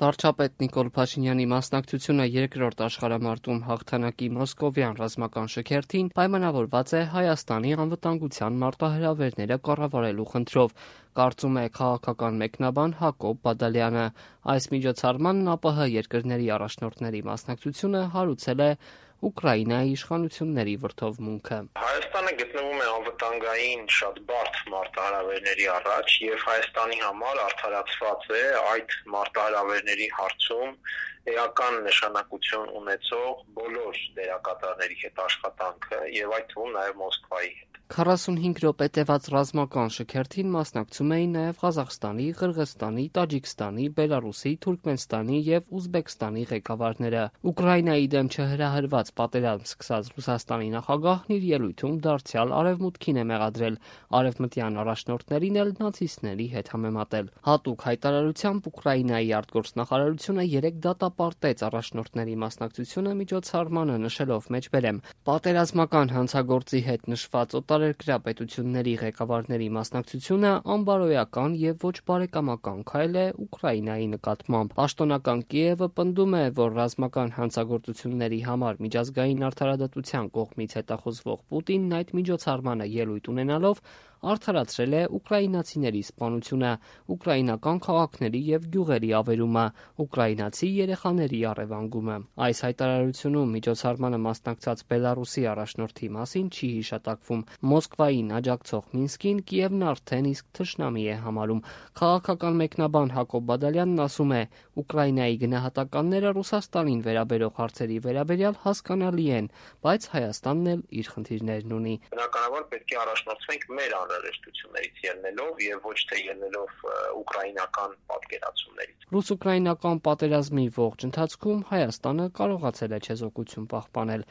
Վարչապետ Նիկոլ Փաշինյանի մասնակցությունը երկրորդ աշխարհամարտում հաղթանակի մոսկովյան ռազմական շքերթին պայմանավորված է Հայաստանի անվտանգության մարտահրավերները կառավարելու խնդրով, կարծում է քաղաքական մեկնաբան Հակոբ Բադալյանը։ Այս միջոցառմանն ԱՊՀ երկրների առաջնորդների մասնակցությունը հարուցել է Ուկրաինայի իշխանությունների վրդովմունքը։ Հայաստանը գտնվում է անվտանգային շատ բարդ մարտահրավերների առաջ եւ Հայաստանի համար արդարացված է այդ մարտահրավերների հարցում էական նշանակություն ունեցող բոլոր դերակատարների հետ աշխատանքը եւ այդ թվում նաեւ Մոսկվայի հետ։ 45 րոպե տևած ռազմական շքերթին մասնակցում էին նաև Ղազախստանի, Ղրղըզստանի, Տաջիկստանի, Բելարուսի, Թուրքմենստանի եւ Ուզբեկստանի ղեկավարները։ Ուկրաինայի դեմ չհրահրված պատերազմ սկսած Ռուսաստանի նախագահն իր ելույթում դարձյալ արևմուտքին է մեղադրել, արևմտյան առաջնորդներին էլ նացիստների հետ համեմատել։ Հատուկ հայտարարությամբ Ուկրաինայի արտգործնախարարությունը 3 դատապարտեց առաջնորդների մասնակցությունը միջոցառմանը, նշելով մեջբերեմ. «Պատերազմական հանցագործի հետ նշված օտարերկրյա պետությունների ղեկավարների մասնակցությունը անբարոյական եւ ոչ բարեկամական քայլ է Ուկրաինայի նկատմամբ»։ Պաշտոնական Կիևը պնդում է, որ ռազմական հանցագործությունների համար միջազգային արդարադատության կողմից հետախուզվող Պուտինն այդ միջոցառմանը ելույթ ունենալով արդարացրել է ուկրաինացիների սպանությունը, ուկրաինական քաղաքների եւ գյուղերի ավերումը, ուկրաինացի երեխաների առևանգումը։ Այս հայտարարությունում միջոցառմանը մասնակցած Բելարուսի առաջնորդի մասին չի հիշատակվում։ Մոսկվային աջակցող Մինսկին Կիևն արդեն իսկ թշնամի է համարում։ Քաղաքական մեկնաբան Հակոբ Բադալյանն ասում է. Ուկրաինայի գնահատականները Ռուսաստանին վերաբերող հարցերի վերաբերյալ հասկանալի են, բայց Հայաստանն էլ իր խնդիրներն ունի։ Բնականաբար պետք է առաջնորդվենք մեր անհրաժեշտություններից ելնելով եւ ոչ թե ելնելով ուկրաինական պատկերացումներից։ Ռուս-ուկրաինական պատերազմի ողջ ընթացքում Հայաստանը կարողացել է չեզոքություն պահպանել։